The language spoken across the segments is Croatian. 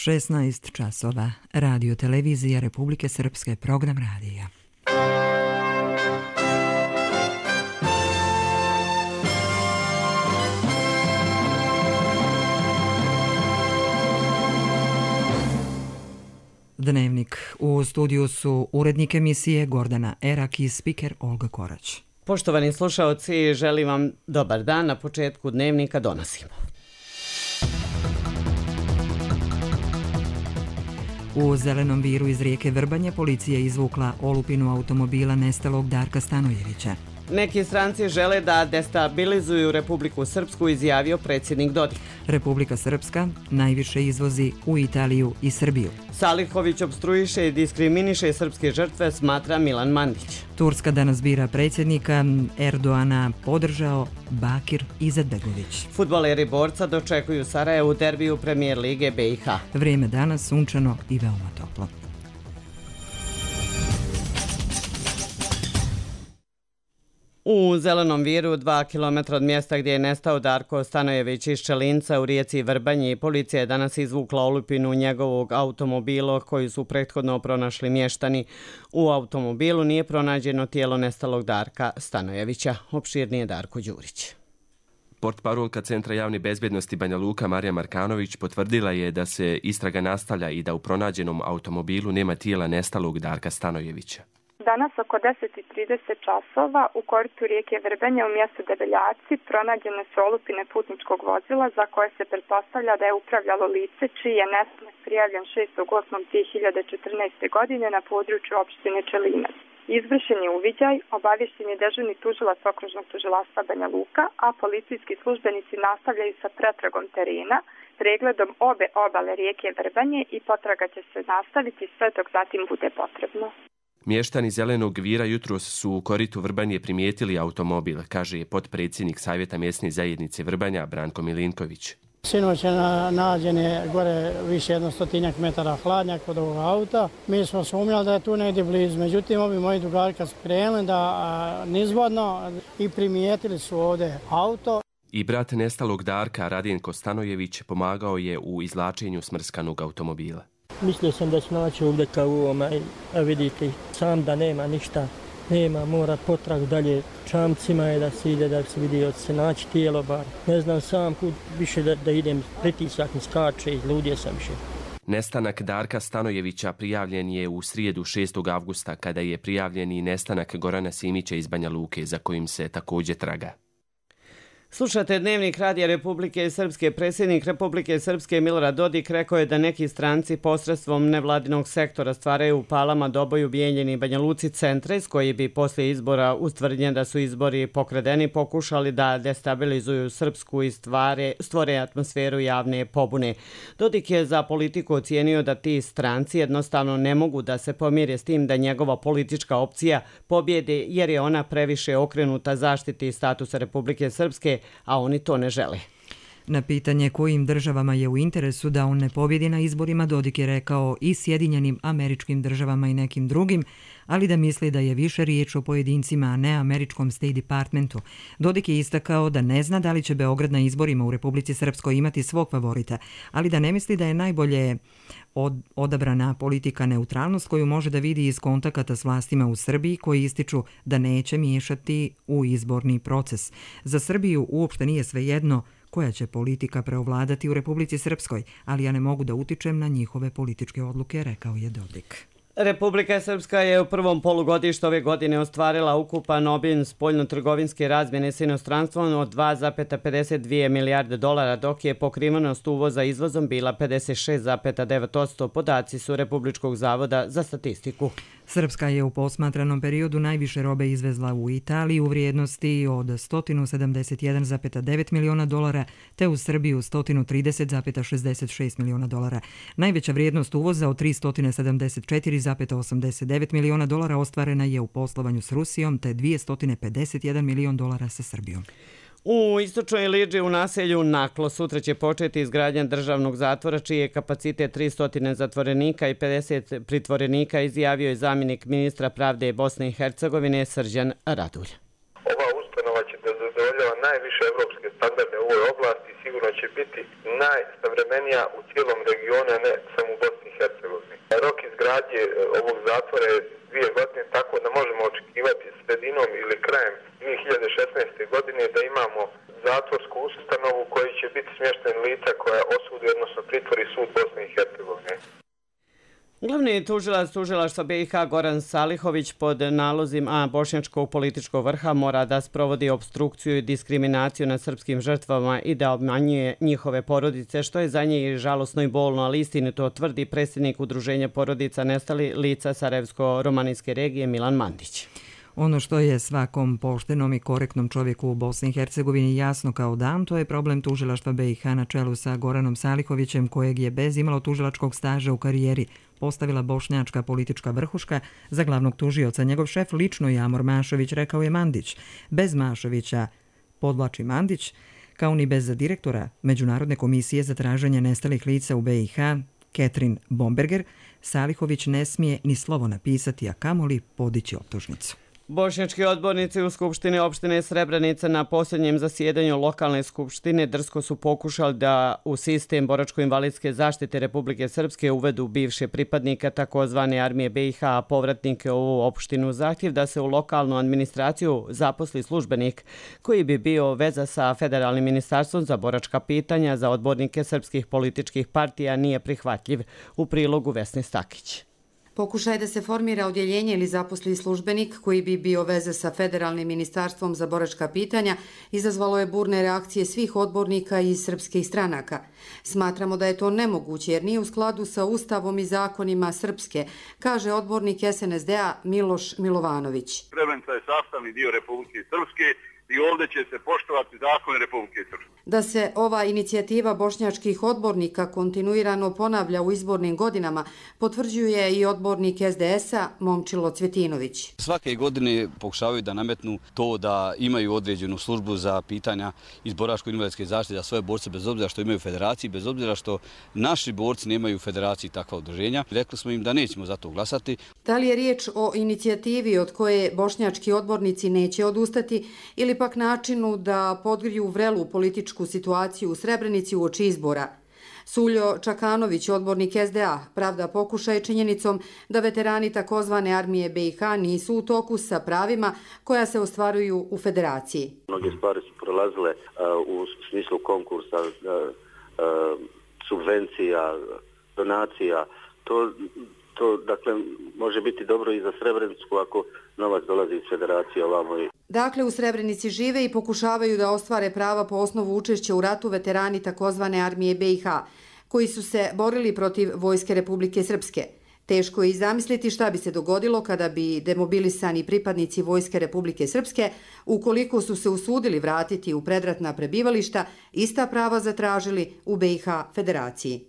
16 časova. Radio televizija Republike Srpske, program radija. Dnevnik. U studiju su urednik emisije Gordana Erak i spiker Olga Korać. Poštovani slušaoci, želim vam dobar dan. Na početku dnevnika donosimo. U Zelenom viru iz rijeke Vrbanje policija izvukla olupinu automobila nestalog Darka Stanojevića. Neki stranci žele da destabilizuju Republiku Srpsku, izjavio predsjednik Dodik. Republika Srpska najviše izvozi u Italiju i Srbiju. Salihović opstruiše i diskriminiše srpske žrtve, smatra Milan Mandić. Turska danas bira predsjednika, Erdoana podržao Bakir Izetbegović. Fudbaleri Borca dočekuju Sarajevo u derbiju Premijer Lige BiH. Vrijeme danas sunčano i veoma toplo. U Zelenom viru, 2 km od mjesta gdje je nestao Darko Stanojević iz Čelinca u rijeci Vrbanji, policija je danas izvukla olupinu njegovog automobila koji su prethodno pronašli mještani. U automobilu nije pronađeno tijelo nestalog Darka Stanojevića. Opširnije Darko Đurić. Portparolka Centra javne bezbjednosti Banja Luka Marija Markanović potvrdila je da se istraga nastavlja i da u pronađenom automobilu nema tijela nestalog Darka Stanojevića. Danas oko 10:30 časova u koritu rijeke Vrbanje u mjestu Debeljaci pronađene su olupine putničkog vozila za koje se pretpostavlja da je upravljalo lice čiji je nestanak prijavljen 6.8.2014. godine na području opštine Čelinac. Izvršen je uviđaj, obavješten je dežurni tužilac okružnog tužilaštva Banja Luka, a policijski službenici nastavljaju sa pretragom terena, pregledom obe obale rijeke Vrbanje i potraga će se nastaviti sve dok zatim bude potrebno. Mještani Zelenog vira jutros su u koritu Vrbanje primijetili automobil, kaže potpredsjednik Savjeta mjesne zajednice Vrbanja Branko Milinković. Sinoć je nađen je gore više 100 metara hladnjak kod ovog auta. Mi smo sumnjali da je tu negdje blizu, međutim ovi moji drugari kad su krenuli da nizvodno i primijetili su ovdje auto. I brat nestalog Darka Radjenko Stanojević pomagao je u izvlačenju smrskanog automobila. Mislio sam da ću naći ovdje kao a vidite sam da nema ništa, mora potrag dalje čamcima je da se ide, da se vidi od se naći tijelo bar. Ne znam sam kud više da idem, pritisak mi skače, izludio sam više. Nestanak Darka Stanojevića prijavljen je u srijedu 6. avgusta kada je prijavljen i nestanak Gorana Simića iz Banja Luke za kojim se također traga. Slušate dnevnik Radija Republike Srpske. Predsjednik Republike Srpske Milorad Dodik rekao je da neki stranci posredstvom nevladinog sektora stvaraju u Palama, Doboju, Bijeljini i Banja Luci centre s koji bi poslije izbora ustvrdnjen da su izbori pokradeni pokušali da destabilizuju Srpsku i stvore atmosferu javne pobune. Dodik je za politiku ocijenio da ti stranci jednostavno ne mogu da se pomire s tim da njegova politička opcija pobjede jer je ona previše okrenuta zaštiti statusa Republike Srpske, a oni to ne žele. Na pitanje kojim državama je u interesu da on ne pobjedi na izborima, Dodik je rekao i Sjedinjenim Američkim Državama i nekim drugim, ali da misli da je više riječ o pojedincima, a ne američkom State Departmentu. Dodik je istakao da ne zna da li će Beograd na izborima u Republici Srpskoj imati svog favorita, ali da ne misli da je najbolje odabrana politika neutralnost koju može da vidi iz kontakata s vlastima u Srbiji koji ističu da neće miješati u izborni proces. Za Srbiju uopšte nije svejedno koja će politika preovladati u Republici Srpskoj, ali ja ne mogu da utičem na njihove političke odluke, rekao je Dodik. Republika Srpska je u prvom polugodištu ove godine ostvarila ukupan obim spoljno-trgovinske razmjene s inostranstvom od 2,52 milijarde dolara, dok je pokrivenost uvoza izvozom bila 56,9%, podaci su Republičkog zavoda za statistiku. Srpska je u posmatranom periodu najviše robe izvezla u Italiji u vrijednosti od 171,9 miliona dolara, te u Srbiju 130,66 miliona dolara. Najveća vrijednost uvoza od 374,89 miliona dolara ostvarena je u poslovanju s Rusijom, te 251 milion dolara sa Srbijom. U istočnoj Iliđi u naselju Naklo sutra će početi izgradnja državnog zatvora čiji je kapacitet 300 zatvorenika i 50 pritvorenika, izjavio je zamjenik ministra pravde Bosne i Hercegovine Srđan Radulj. Ova ustanova će da zadovolji zadovoljava najviše evropske standarde u ovoj oblasti i sigurno će biti najsavremenija u cijelom regionu, a ne samo u Bosni i Hercegovini. Rok izgradnje ovog zatvora je 2 godine, tako da možemo očekivati sredinom ili krajem 2016. godine da imamo zatvorsku ustanovu koji će biti smješten lica koja osudi, odnosno pritvori sud Bosne i Hercegovine. Glavni tužilac tužilaštva BiH Goran Salihović pod nalozima bošnjačkog političkog vrha mora da sprovodi opstrukciju i diskriminaciju nad srpskim žrtvama i da obmanjuje njihove porodice, što je za njih žalosno i bolno, ali istinito tvrdi predsjednik Udruženja porodica nestali lica Sarajevsko-romanijske regije Milan Mandić. Ono što je svakom poštenom i korektnom čovjeku u Bosni i Hercegovini jasno kao dan, to je problem tužilaštva BiH na čelu sa Goranom Salihovićem, kojeg je bez imalo tužilačkog staža u karijeri postavila bošnjačka politička vrhuška za glavnog tužioca. Njegov šef lično je Amor Mašović, rekao je Mandić. Bez Mašovića, podvlači Mandić, kao ni bez direktora Međunarodne komisije za traženje nestalih lica u BiH, Ketrin Bomberger, Salihović ne smije ni slovo napisati, a kamoli podići optužnicu. Bošnjački odbornici u Skupštini opštine Srebrenica na posljednjem zasjedanju lokalne skupštine drsko su pokušali da u sistem boračko-invalidske zaštite Republike Srpske uvedu bivše pripadnike takozvane armije BiH, a povratnike u ovu opštinu zahtjev da se u lokalnu administraciju zaposli službenik koji bi bio veza sa Federalnim ministarstvom za boračka pitanja za odbornike srpskih političkih partija nije prihvatljiv. U prilogu Vesne Stakić. Pokušaj da se formira odjeljenje ili zaposli službenik koji bi bio veze sa Federalnim ministarstvom za boračka pitanja izazvalo je burne reakcije svih odbornika iz srpskih stranaka. Smatramo da je to nemoguće jer nije u skladu sa Ustavom i zakonima Srpske, kaže odbornik SNSD-a Miloš Milovanović. Srebrenica je sastavni dio Republike Srpske i ovdje će se poštovati zakon Republike Srpske. Da se ova inicijativa bošnjačkih odbornika kontinuirano ponavlja u izbornim godinama, potvrđuje i odbornik SDS-a Momčilo Cvjetinović. Svake godine pokušavaju da nametnu to da imaju određenu službu za pitanja iz boračko-invalidske zaštite za svoje borce, bez obzira što imaju federaciji, bez obzira što naši borci nemaju u federaciji takva udruženja. Rekli smo im da nećemo za to glasati. Da li je riječ o inicijativi od koje bošnjački odbornici neće odustati ili pak načinu da podgriju vrelu političku situaciju u Srebrenici uoči izbora? Suljo Čakanović, odbornik SDA, pravda pokušaj činjenicom da veterani takozvane armije BiH nisu u toku sa pravima koja se ostvaruju u federaciji. Mnoge stvari su prolazile u smislu konkursa, subvencija, donacija. To dakle, može biti dobro i za Srebrenicu ako novac dolazi iz federacije ovamo. Dakle, u Srebrenici žive i pokušavaju da ostvare prava po osnovu učešća u ratu veterani takozvane armije BiH, koji su se borili protiv Vojske Republike Srpske. Teško je i zamisliti šta bi se dogodilo kada bi demobilisani pripadnici Vojske Republike Srpske, ukoliko su se usudili vratiti u predratna prebivališta, ista prava zatražili u BiH federaciji.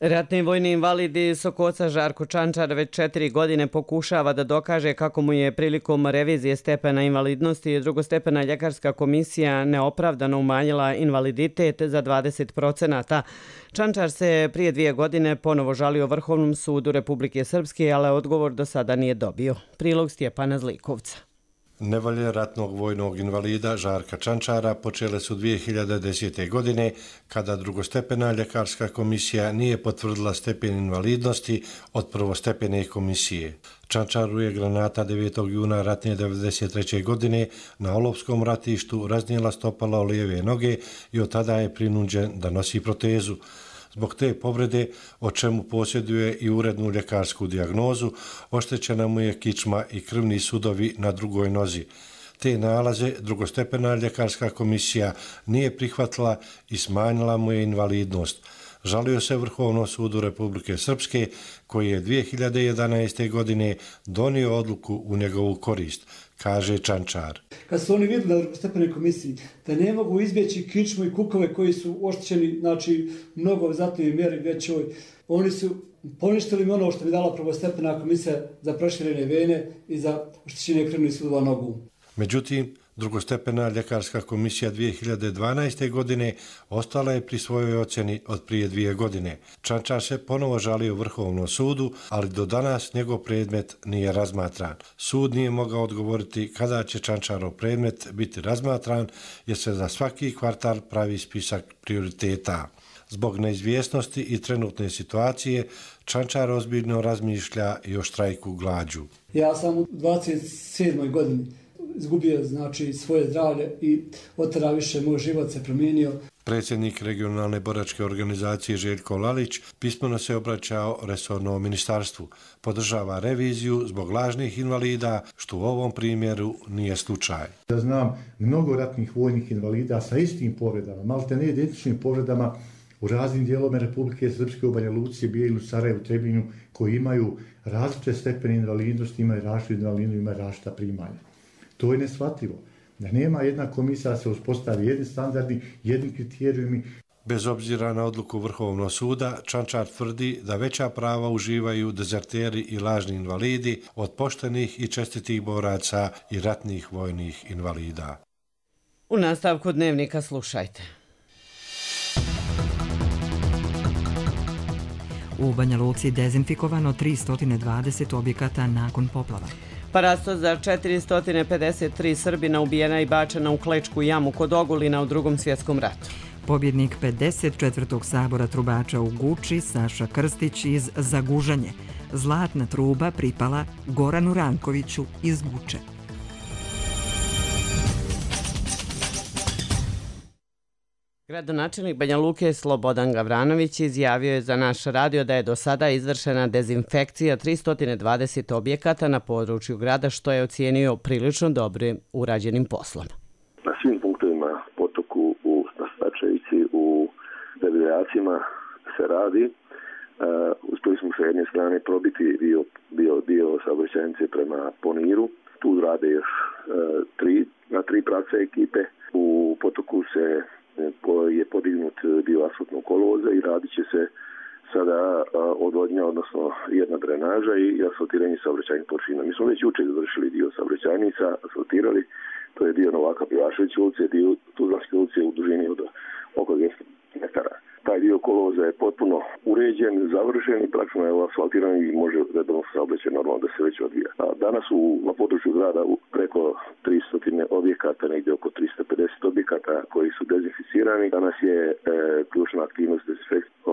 Ratni vojni invalidi Sokoca Žarko Čančar već 4 godine pokušava da dokaže kako mu je prilikom revizije stepena invalidnosti drugostepena ljekarska komisija neopravdano umanjila invaliditet za 20%. Čančar se prije 2 godine ponovo žalio Vrhovnom sudu Republike Srpske, ali odgovor do sada nije dobio. Prilog Stjepana Zlikovca. Nevolje ratnog vojnog invalida Žarka Čančara počele su 2010. godine kada drugostepena ljekarska komisija nije potvrdila stepen invalidnosti od prvostepene komisije. Čančaru je granata 9. juna ratne 1993. godine na Olovskom ratištu raznijela stopala lijeve noge i od tada je prinuđen da nosi protezu. Zbog te povrede, o čemu posjeduje i urednu ljekarsku dijagnozu, oštećena mu je kičma i krvni sudovi na drugoj nozi. Te nalaze drugostepena ljekarska komisija nije prihvatila i smanjila mu je invalidnost. Žalio se Vrhovnom sudu Republike Srpske, koji je 2011. godine donio odluku u njegovu korist, kaže Čančar. Kad su oni vidjeli na drugostepenoj komisiji da ne mogu izbjeći kičmu i kukove koji su oštećeni, znači mnogo znatnoj mjeri većoj, oni su poništili mi ono što bi dala prvostepena komisija za proširene vene i za oštećenje krvnih sudova nogu. Međutim, Drugostepena ljekarska komisija 2012. godine ostala je pri svojoj ocjeni od prije 2 godine. Čančar se ponovo žalio Vrhovnom sudu, ali do danas njegov predmet nije razmatran. Sud nije mogao odgovoriti kada će Čančarov predmet biti razmatran, jer se za svaki kvartal pravi spisak prioriteta. Zbog neizvjesnosti i trenutne situacije, Čančar ozbiljno razmišlja i o štrajku glađu. Ja sam u 27. godini izgubio svoje zdravlje i od tada više moj život se promijenio. Predsjednik regionalne boračke organizacije Željko Lalić pismeno se obraćao resornom ministarstvu. Podržava reviziju zbog lažnih invalida, što u ovom primjeru nije slučaj. Ja znam mnogo ratnih vojnih invalida sa istim povredama, malte ne identičnim povredama u raznim dijelovima Republike Srpske, u Banja Luci, Bijelu, Sarajevu, Trebinju, koji imaju različite stepene invalidnosti, imaju različitu invalidnost, imaju različita primanja. To je neshvatljivo. Da nema jedna komisija, se uspostavi jedni standardi, jedni kriterijumi. Bez obzira na odluku Vrhovnog suda, Čančar tvrdi da veća prava uživaju dezerteri i lažni invalidi od poštenih i čestitih boraca i ratnih vojnih invalida. U nastavku dnevnika slušajte. U Banja Luci dezinfikovano 320 objekata nakon poplava. Parasto za 453 Srbina ubijena i bačena u Klečku jamu kod Ogulina u Drugom svjetskom ratu. Pobjednik 54. sabora trubača u Guči, Saša Krstić iz Zagužanje. Zlatna truba pripala Goranu Rankoviću iz Guče. Gradonačelnik Banja Luke Slobodan Gavranović izjavio je za naš radio da je do sada izvršena dezinfekcija 320 objekata na području grada, što je ocijenio prilično dobrim urađenim poslom. Na svim punktovima potoku u Stačevici, u Debeljacima se radi. Uspjeli smo sa jedne strane probiti dio saobraćajnice prema Poniru. Tu rade još na tri pravca ekipe. U potoku je podignut dio asfaltnog kolovoza i radit će se sada odvodnja, odnosno jedna drenaža i asfaltiranje saobraćajnih površina. Mi smo već jučer završili dio saobraćajnica, asfaltirali, to je dio Novaka Pivaševića ulice, dio Tuzlanske ulice u dužini od oko 200 metara. Taj dio kolovoza je potpuno uređen, završen i praktično je asfaltiran i može redovno saobraćaj normalno da se već odvija. Danas na području grada preko 300 objekata, negdje oko 350 objekata koji su dezinficirani. Danas je ključna aktivnost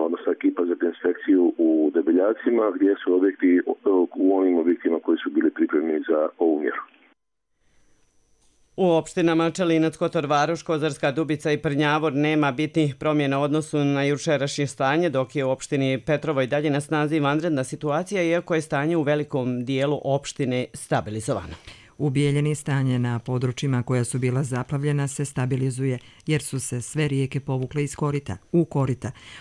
odnosno ekipa za dezinfekciju u Debeljacima, gdje su objekti u onim objektima koji su bili pripremljeni za ovu mjeru. U opštinama Čelinac, Kotor, Varoš, Kozarska Dubica i Prnjavor nema bitnih promjena u odnosu na jučerašnje stanje, dok je u opštini Petrovo i dalje na snazi vanredna situacija, iako je stanje u velikom dijelu opštine stabilizovano. U Bijeljini stanje na područjima koja su bila zaplavljena se stabilizuje jer su se sve rijeke povukle iz korita.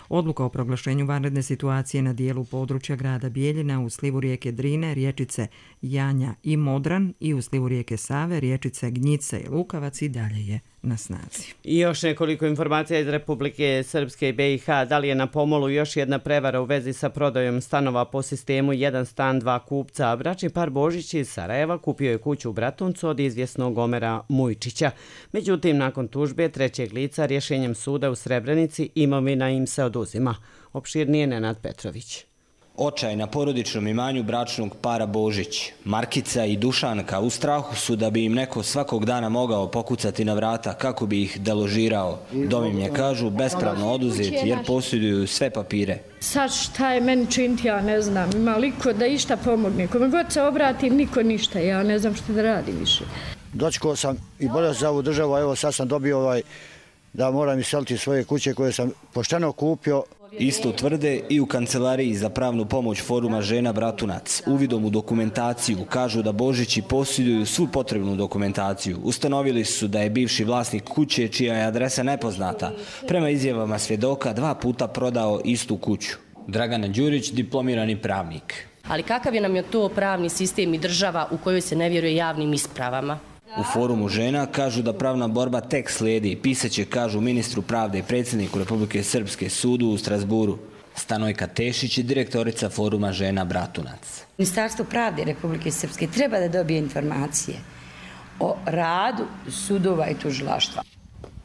Odluka o proglašenju vanredne situacije na dijelu područja grada Bijeljina u slivu rijeke Drine, riječice Janja i Modran i u slivu rijeke Save, riječice Gnjice i Lukavac i dalje je na snazi. I još nekoliko informacija iz Republike Srpske i BiH. Da li je na pomolu još jedna prevara u vezi sa prodajom stanova po sistemu 1 stan 2 kupca? Bračni par Božić iz Sarajeva kupio je kuću u Bratuncu od izvjesnog Omera Mujčića. Međutim, nakon tužbe trećeg lica rješenjem suda u Srebrenici imovina im se oduzima. Opširnije Nenad Petrović. Očaj na porodičnom imanju bračnog para Božić. Markica i Dušanka u strahu su da bi im neko svakog dana mogao pokucati na vrata kako bi ih deložirao. Dom im je, kažu, bespravno oduzet jer posjeduju sve papire. Sad šta je meni činiti, ja ne znam. Ima liko da išta pomogne. Kome god se obratim, niko ništa. Ja ne znam što da radim više. Dočekao sam i bolio za ovu državu, evo sad sam dobio da moram iseliti svoje kuće koje sam pošteno kupio. Isto tvrde i u kancelariji za pravnu pomoć Foruma žena Bratunac. Uvidom u dokumentaciju kažu da Božići posjeduju svu potrebnu dokumentaciju. Ustanovili su da je bivši vlasnik kuće, čija je adresa nepoznata, prema izjavama svjedoka 2 puta prodao istu kuću. Dragana Đurić, diplomirani pravnik. Ali kakav je nam je to pravni sistem i država u kojoj se ne vjeruje javnim ispravama? U Forumu žena kažu da pravna borba tek slijedi. Pisaće, kažu, ministru pravde i predsjedniku Republike Srpske sudu u Strasburu. Stanojka Tešić je direktorica Foruma žena Bratunac. Ministarstvo pravde Republike Srpske treba da dobije informacije o radu sudova i tužilaštva.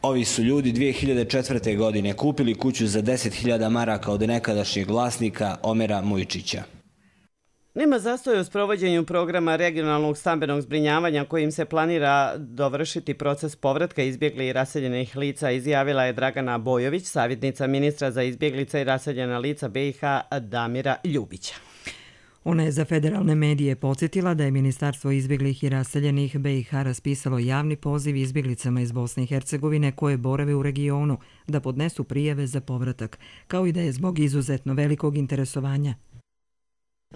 Ovi su ljudi 2004. godine kupili kuću za 10.000 maraka od nekadašnjeg vlasnika Omera Mujčića. Nema zastoja u sprovođenju programa regionalnog stambenog zbrinjavanja kojim se planira dovršiti proces povratka izbjeglih i raseljenih lica, izjavila je Dragana Bojović, savjetnica ministra za izbjeglice i raseljena lica BiH Damira Ljubića. Ona je za federalne medije podsjetila da je Ministarstvo izbjeglih i raseljenih BiH raspisalo javni poziv izbjeglicama iz Bosne i Hercegovine koje borave u regionu da podnesu prijave za povratak, kao i da je zbog izuzetno velikog interesovanja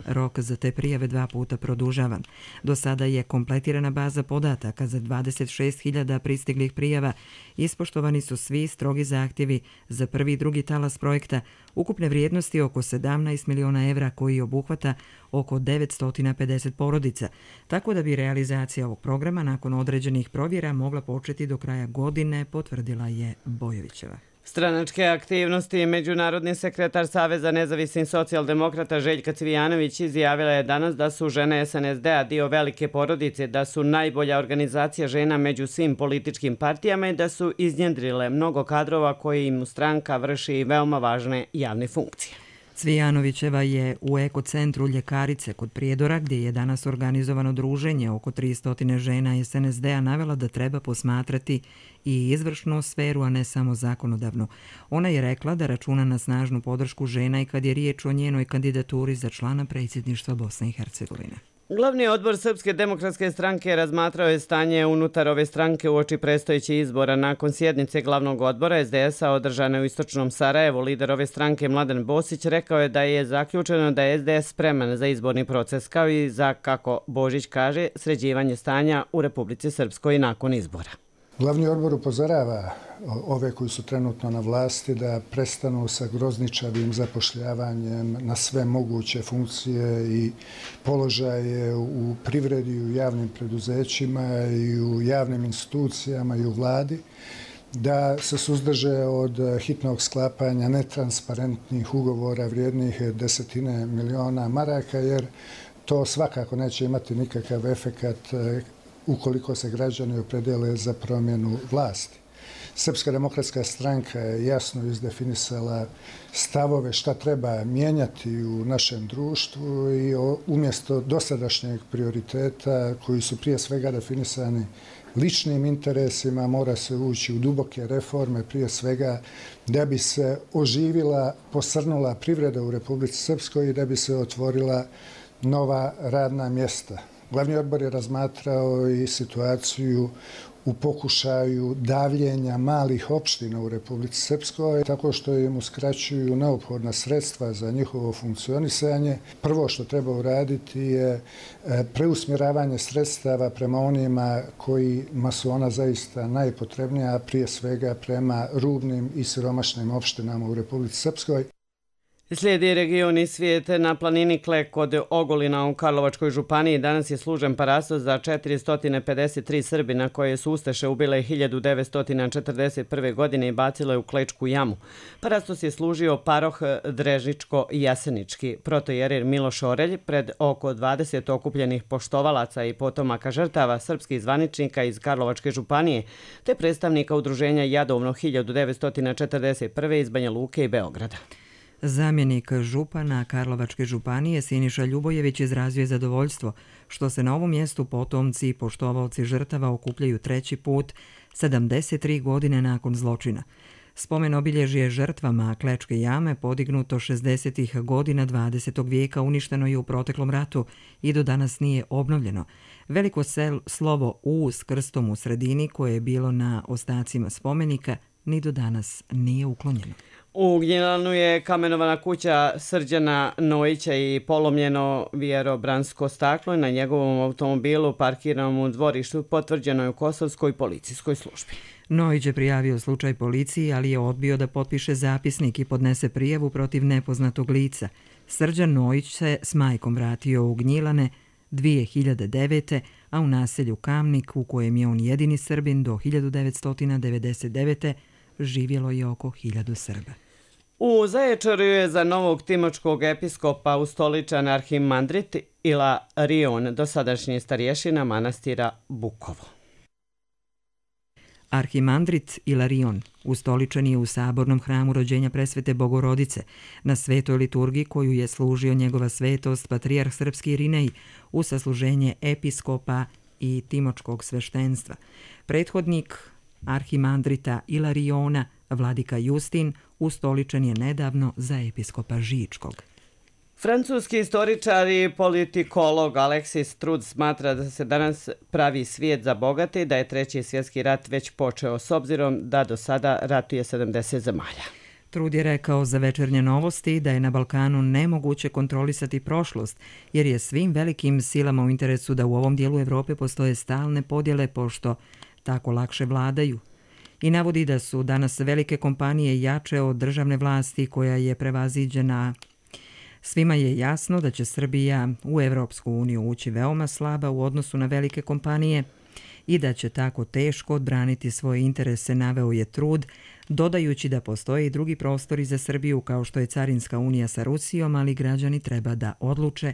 rok za te prijave 2 puta produžavan. Do sada je kompletirana baza podataka za 26.000 pristiglih prijava. Ispoštovani su svi strogi zahtjevi za prvi i drugi talas projekta ukupne vrijednosti oko 17 miliona evra koji obuhvata oko 950 porodica, tako da bi realizacija ovog programa nakon određenih provjera mogla početi do kraja godine, potvrdila je Bojovićeva. Stranačke aktivnosti. Međunarodni sekretar Saveza nezavisnih socijaldemokrata Željka Cvijanović izjavila je danas da su žene SNSD-a dio velike porodice, da su najbolja organizacija žena među svim političkim partijama i da su iznjedrile mnogo kadrova koji im stranka vrši veoma važne javne funkcije. Cvijanovićeva je u ekocentru Ljekarice kod Prijedora, gdje je danas organizovano druženje oko 300 žena SNSD-a, navela da treba posmatrati i izvršnu sferu, a ne samo zakonodavnu. Ona je rekla da računa na snažnu podršku žena i kad je riječ o njenoj kandidaturi za člana predsjedništva Bosne i Hercegovine. Glavni odbor Srpske demokratske stranke razmatrao je stanje unutar ove stranke uoči predstojećih izbora. Nakon sjednice glavnog odbora SDS-a održane u istočnom Sarajevu, lider ove stranke Mladen Bosić rekao je da je zaključeno da je SDS spreman za izborni proces, kao i za, kako Božić kaže, sređivanje stanja u Republici Srpskoj nakon izbora. Glavni odbor upozorava ove koji su trenutno na vlasti da prestanu sa grozničavim zapošljavanjem na sve moguće funkcije i položaje u privredi i u javnim preduzećima i u javnim institucijama i u vladi, da se suzdrže od hitnog sklapanja netransparentnih ugovora vrijednih 10 miliona maraka, jer to svakako neće imati nikakav efekat ukoliko se građani opredele za promjenu vlasti. Srpska demokratska stranka je jasno izdefinisala stavove šta treba mijenjati u našem društvu i umjesto dosadašnjeg prioriteta koji su prije svega definisani ličnim interesima mora se ući u duboke reforme, prije svega da bi se oživila, posrnula privreda u Republici Srpskoj i da bi se otvorila nova radna mjesta. Glavni odbor je razmatrao i situaciju u pokušaju davljenja malih opština u Republici Srpskoj, tako što im uskraćuju neophodna sredstva za njihovo funkcionisanje. Prvo što treba uraditi je preusmjeravanje sredstava prema onima kojima su ona zaista najpotrebnija, a prije svega prema rubnim i siromašnim opštinama u Republici Srpskoj. Slijedi region i svijet. Na planini Klek kod Ogulina u Karlovačkoj županiji danas je služen parastos za 453 Srbina koje su ustaše ubile 1941. godine i bacile u Klečku jamu. Parastos je služio paroh Drežičko-Jasenički. Protojerer Miloš Orelj pred oko 20 okupljenih poštovalaca i potomaka žrtava srpskih zvaničnika iz Karlovačke županije te predstavnika udruženja Jadovno 1941. iz Banja Luke i Beograda. Zamjenik župana Karlovačke županije Siniša Ljubojević izrazio je zadovoljstvo što se na ovom mjestu potomci i poštovalci žrtava okupljaju 3. put 73 godine nakon zločina. Spomen obilježje žrtvama Klečke jame podignuto 60. godina 20. vijeka uništeno je u proteklom ratu i do danas nije obnovljeno. Veliko slovo U s krstom u sredini koje je bilo na ostacima spomenika ni do danas nije uklonjeno. U Gnjilanu je kamenovana kuća Srđana Nojića i polomljeno vjerobransko staklo na njegovom automobilu parkiranom u dvorištu, potvrđeno je u Kosovskoj policijskoj službi. Nojić je prijavio slučaj policiji, ali je odbio da potpiše zapisnik i podnese prijavu protiv nepoznatog lica. Srđan Nojić se s majkom vratio u Gnjilane 2009. a u naselju Kamnik, u kojem je on jedini Srbin, do 1999. živjelo je oko 1000 Srba. U Zaječaru je za novog timočkog episkopa ustoličan arhimandrit Ilarion, dosadašnji starješina manastira Bukovo. Arhimandrit Ilarion ustoličen je u sabornom hramu rođenja presvete Bogorodice na svetoj liturgiji koju je služio njegova svetost patrijarh srpski Irinej u sasluženje episkopa i timočkog sveštenstva. Prethodnik Arhimandrita Ilariona, vladika Justin, ustoličen je nedavno za episkopa Žičkog. Francuski istoričar i politikolog Alexis Trud smatra da se danas pravi svijet za bogate i da je Treći svjetski rat već počeo, s obzirom da do sada ratuje 70 zemalja. Trud je rekao za Večernje novosti da je na Balkanu nemoguće kontrolisati prošlost, jer je svim velikim silama u interesu da u ovom dijelu Evrope postoje stalne podjele pošto tako lakše vladaju. I navodi da su danas velike kompanije jače od državne vlasti koja je prevaziđena. Svima je jasno da će Srbija u Evropsku uniju ući veoma slaba u odnosu na velike kompanije i da će tako teško odbraniti svoje interese, naveo je Trud, dodajući da postoje i drugi prostori za Srbiju kao što je Carinska unija sa Rusijom, ali građani treba da odluče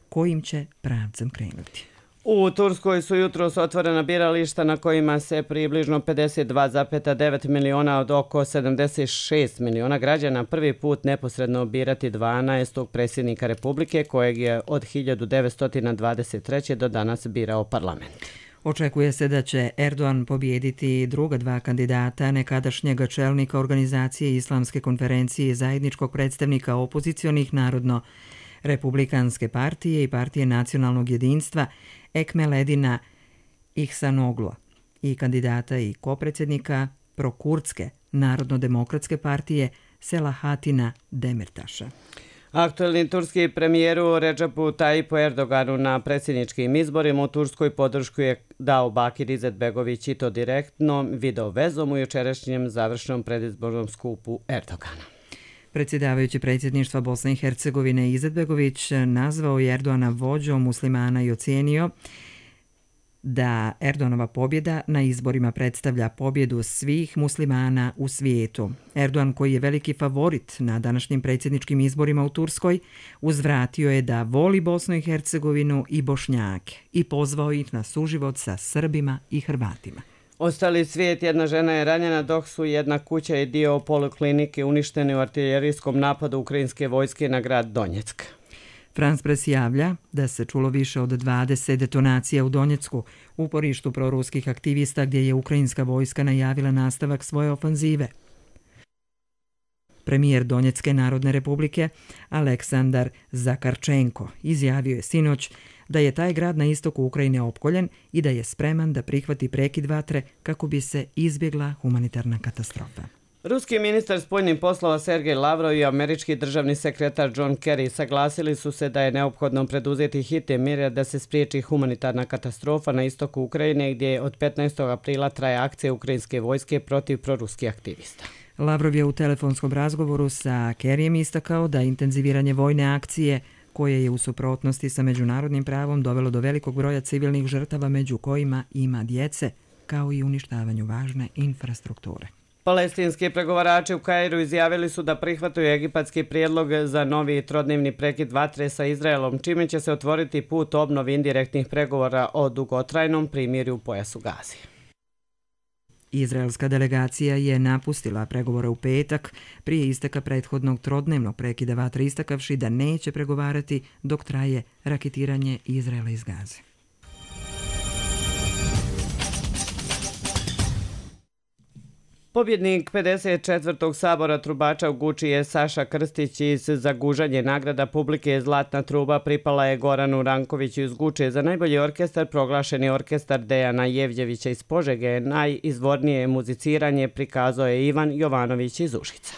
kojim će pravcem krenuti. U Turskoj su jutros otvorena birališta na kojima se približno 52,9 miliona od oko 76 miliona građana prvi put neposredno birati 12. predsjednika Republike kojeg je od 1923. do danas birao parlament. Očekuje se da će Erdogan pobijediti druga dva kandidata, nekadašnjeg čelnika organizacije Islamske konferencije i zajedničkog predstavnika opozicionih Narodno-republikanske partije i partije nacionalnog jedinstva Ekmeledina Ihsanoglu i kandidata i kopredsjednika prokurdske Narodno-demokratske partije Selahatina Demirtaša. Aktuelni turski premijeru Recepu Tayyipu Erdoganu na predsjedničkim izborima u Turskoj podršku je dao Bakir Izetbegović i to direktno video vezom u jučerašnjem završnom predizbornom skupu Erdogana. Predsjedavajući predsjedništva Bosne i Hercegovine Izetbegović nazvao je Erdogana vođom muslimana i ocijenio da Erdoganova pobjeda na izborima predstavlja pobjedu svih muslimana u svijetu. Erdogan, koji je veliki favorit na današnjim predsjedničkim izborima u Turskoj, uzvratio je da voli Bosnu i Hercegovinu i Bošnjake i pozvao ih na suživot sa Srbima i Hrvatima. Ostali svijet, jedna žena je ranjena dok su jedna kuća i dio poliklinike uništeni u artiljerijskom napadu ukrajinske vojske na grad Donjeck. France Press javlja da se čulo više od 20 detonacija u Donjecku, uporištu proruskih aktivista gdje je ukrajinska vojska najavila nastavak svoje ofanzive. Premijer Donjecke narodne republike Aleksandar Zakarčenko izjavio je sinoć da je taj grad na istoku Ukrajine opkoljen i da je spreman da prihvati prekid vatre kako bi se izbjegla humanitarna katastrofa. Ruski ministar spoljnih poslova Sergej Lavrov i američki državni sekretar John Kerry saglasili su se da je neophodno preduzeti hitne mjere da se spriječi humanitarna katastrofa na istoku Ukrajine gdje od 15. aprila traje akcija ukrajinske vojske protiv proruskih aktivista. Lavrov je u telefonskom razgovoru sa Kerryjem istakao da intenziviranje vojne akcije koje je u suprotnosti sa međunarodnim pravom dovelo do velikog broja civilnih žrtava među kojima ima djece, kao i uništavanju važne infrastrukture. Palestinski pregovarači u Kairu izjavili su da prihvataju egipatski prijedlog za novi trodnevni prekid vatre sa Izraelom, čime će se otvoriti put obnovi indirektnih pregovora o dugotrajnom primirju u pojasu Gazi. Izraelska delegacija je napustila pregovore u petak prije isteka prethodnog trodnevnog prekida vatre, istakavši da neće pregovarati dok traje raketiranje Izraela iz Gaze. Pobjednik 54. sabora trubača u Guči je Saša Krstić iz Zagužanje. Nagrada publike Zlatna truba pripala je Goranu Rankoviću iz Guče. Za najbolji orkestar proglašeni orkestar Dejana Jevđevića iz Požege. Najizvornije muziciranje prikazao je Ivan Jovanović iz Užica.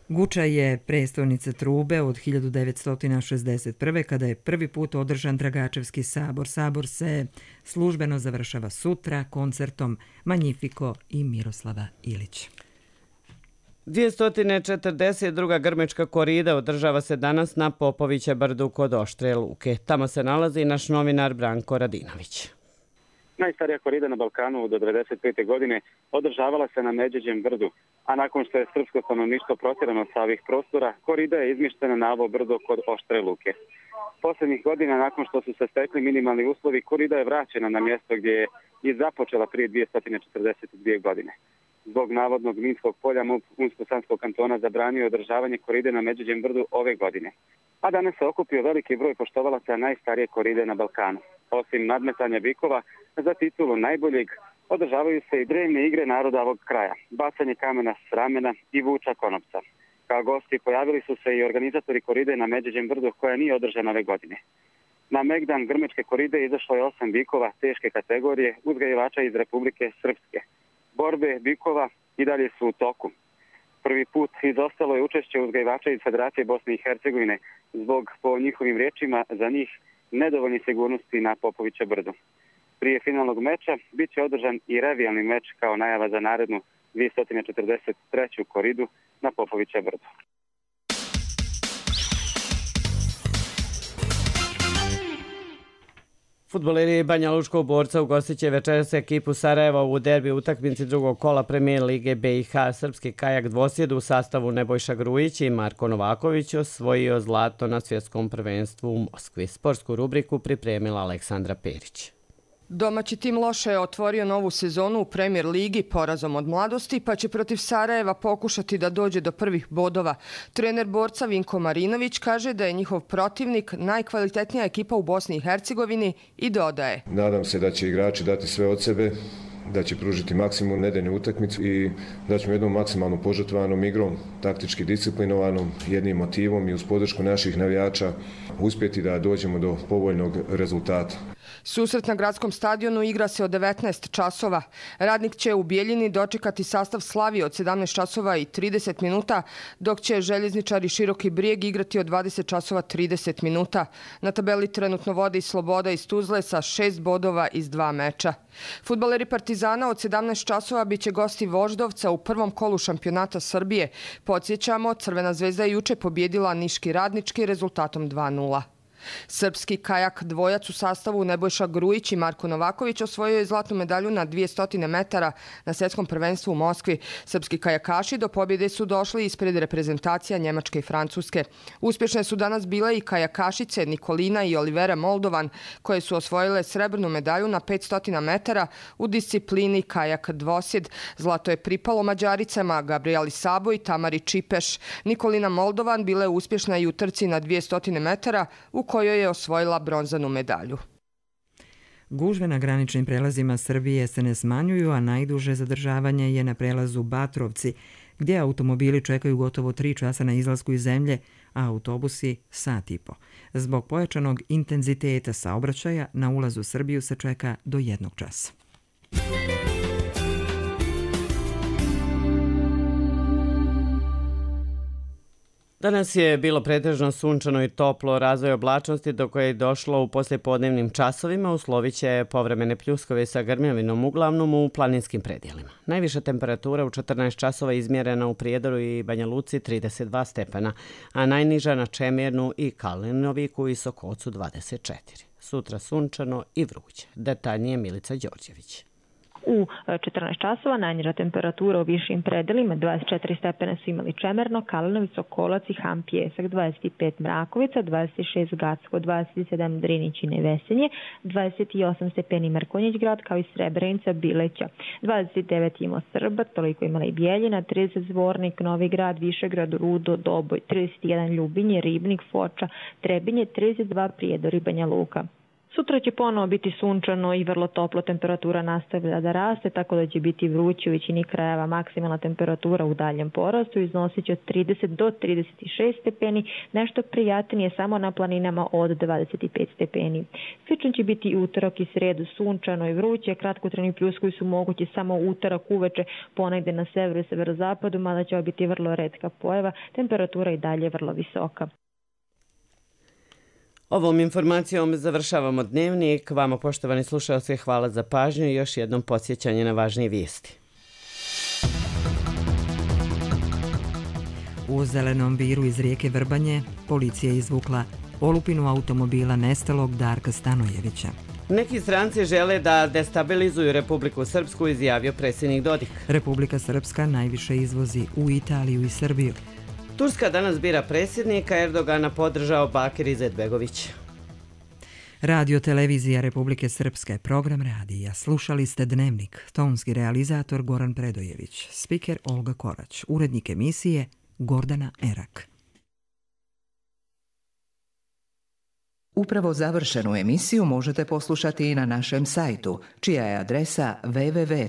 Guča je prestolnica trube od 1961. kada je prvi put održan Dragačevski sabor. Sabor se službeno završava sutra koncertom Magnifico i Miroslava Ilića. 242. grmečka korida održava se danas na Popovića brdu kod Oštre luke. Tamo se nalazi naš novinar Branko Radinović. Najstarija korida na Balkanu do 1995. godine održavala se na Međeđem brdu, a nakon što je srpsko stanovništvo protjerano sa ovih prostora, korida je izmištena na ovo brdo kod Oštre luke. Posljednjih godina, nakon što su se stekli minimalni uslovi, korida je vraćena na mjesto gdje je i započela prije 242 godine. Zbog navodnog minskog polja MUP Unsko-Sanskog kantona zabranio održavanje koride na Međuđem brdu ove godine. A danas se okupio veliki broj poštovalaca najstarije koride na Balkanu. Osim nadmetanja bikova, za titulu najboljeg održavaju se i drevne igre naroda ovog kraja, bacanje kamena s ramena i vuča konopca. Kao gosti pojavili su se i organizatori koride na Međuđem brdu koja nije održana ove godine. Na Megdan Grmečke koride izašlo je 8 bikova teške kategorije uzgajivača iz Republike Srpske. Borbe bikova i dalje su u toku. Prvi put izostalo je učešće uzgajivača iz Federacije Bosne i Hercegovine zbog, po njihovim riječima, za njih nedovoljne sigurnosti na Popovića brdu. Prije finalnog meča bit će održan i revijalni meč kao najava za narednu 243. koridu na Popovića brdu. Fudbaleri Banja Lučkog Borca ugostit će večeras ekipu Sarajeva u derbi utakmici drugog kola Premijer Lige BiH. Srpski kajak dvosjed u sastavu Nebojša Grujić i Marko Novaković osvojio zlato na svjetskom prvenstvu u Moskvi. Sportsku rubriku pripremila Aleksandra Perić. Domaći tim loše je otvorio novu sezonu u Premier Ligi porazom od Mladosti, pa će protiv Sarajeva pokušati da dođe do prvih bodova. Trener Borca Vinko Marinović kaže da je njihov protivnik najkvalitetnija ekipa u Bosni i Hercegovini i dodaje. Nadam se da će igrači dati sve od sebe, da će pružiti maksimum nedeljnu utakmicu i da ćemo jednom maksimalno požrtvovanom igrom, taktički disciplinovanom, jednim motivom i uz podršku naših navijača uspjeti da dođemo do povoljnog rezultata. Susret na gradskom stadionu igra se od 19 časova. Radnik će u Bijeljini dočekati sastav Slavije od 17 časova i 30 minuta, dok će željezničari Široki Brijeg igrati od 20 časova 30 minuta. Na tabeli trenutno vode i Sloboda iz Tuzle sa 6 bodova iz 2 meča. Fudbaleri Partizana od 17 časova biće gosti Voždovca u prvom kolu šampionata Srbije. Podsjećamo, Crvena zvezda je juče pobjedila Niški Radnički rezultatom 2:0. Srpski kajak dvojac u sastavu Nebojša Grujić i Marko Novaković osvojio je zlatnu medalju na 200 metara na svjetskom prvenstvu u Moskvi. Srpski kajakaši do pobjede su došli ispred reprezentacija Njemačke i Francuske. Uspješne su danas bile i kajakašice Nikolina i Olivera Moldovan, koje su osvojile srebrnu medalju na 500 metara u disciplini kajak dvosjed. Zlato je pripalo Mađaricama Gabrieli Sabo i Tamari Čipeš. Nikolina Moldovan bila je uspješna i u trci na 200 metara u kojoj je osvojila bronzanu medalju. Gužve na graničnim prelazima Srbije se ne smanjuju, a najduže zadržavanje je na prelazu Batrovci, gdje automobili čekaju gotovo 3 časa na izlasku iz zemlje, a autobusi sat i po. Zbog pojačanog intenziteta saobraćaja na ulazu u Srbiju se čeka do 1 časa. Danas je bilo pretežno sunčano i toplo, razvoj oblačnosti do koje je došlo u poslijepodnevnim časovima uslovit će povremene pljuskove sa grmljavinom uglavnom u planinskim predjelima. Najviša temperatura u 14 časova izmjerena u Prijedoru i Banja Luci 32 stepena, a najniža na Čemernu i Kalinoviku i Sokocu 24. Sutra sunčano i vruće. Detaljnije Milica Đorđević. U 14 časova najniža temperatura u višim predelima 24 stepena su imali Čemerno, Kalinović, Sokolac i Ham Pjesak, 25 Mrakovica, 26 Gacko, 27 Drinić i Nevesenje, 28 stepeni Mrkonjić grad kao i Srebrenica, Bileća, 29 imao Srba, toliko imala i Bijeljina, 30 Zvornik, Novi grad, Višegrad, Rudo, Doboj, 31 Ljubinje, Ribnik, Foča, Trebinje, 32 Prijedor i Banja Luka. Sutra će ponovo biti sunčano i vrlo toplo, temperatura nastavlja da raste, tako da će biti vruće u većini krajeva. Maksimalna temperatura u daljem porastu iznosit će od 30 do 36 stepeni, nešto prijatnije samo na planinama od 25 stepeni. Slično će biti i utorak i sredu, sunčano i vruće, kratkotrajni pljuskovi su mogući samo utorak uveče, ponegde na severu i severozapadu, mada će biti vrlo retka pojava, temperatura i dalje vrlo visoka. Ovom informacijom završavamo dnevnik. Vama, poštovani slušalci, hvala za pažnju i još jednom podsjećanje na važnije vijesti. U Zelenom Viru iz rijeke Vrbanje policija je izvukla olupinu automobila nestalog Darka Stanojevića. Neki stranci žele da destabilizuju Republiku Srpsku, izjavio predsjednik Dodik. Republika Srpska najviše izvozi u Italiju i Srbiju. Turska danas bira predsjednika, Erdogana podržao Bakir Izetbegović. Radio Televizija Republike Srpske, program radija. Slušali ste Dnevnik, tonski realizator Goran Predojević, spiker Olga Korać, urednik emisije Gordana Erak. Upravo završenu emisiju možete poslušati i na našem sajtu, čija je adresa www.rtrs.tv.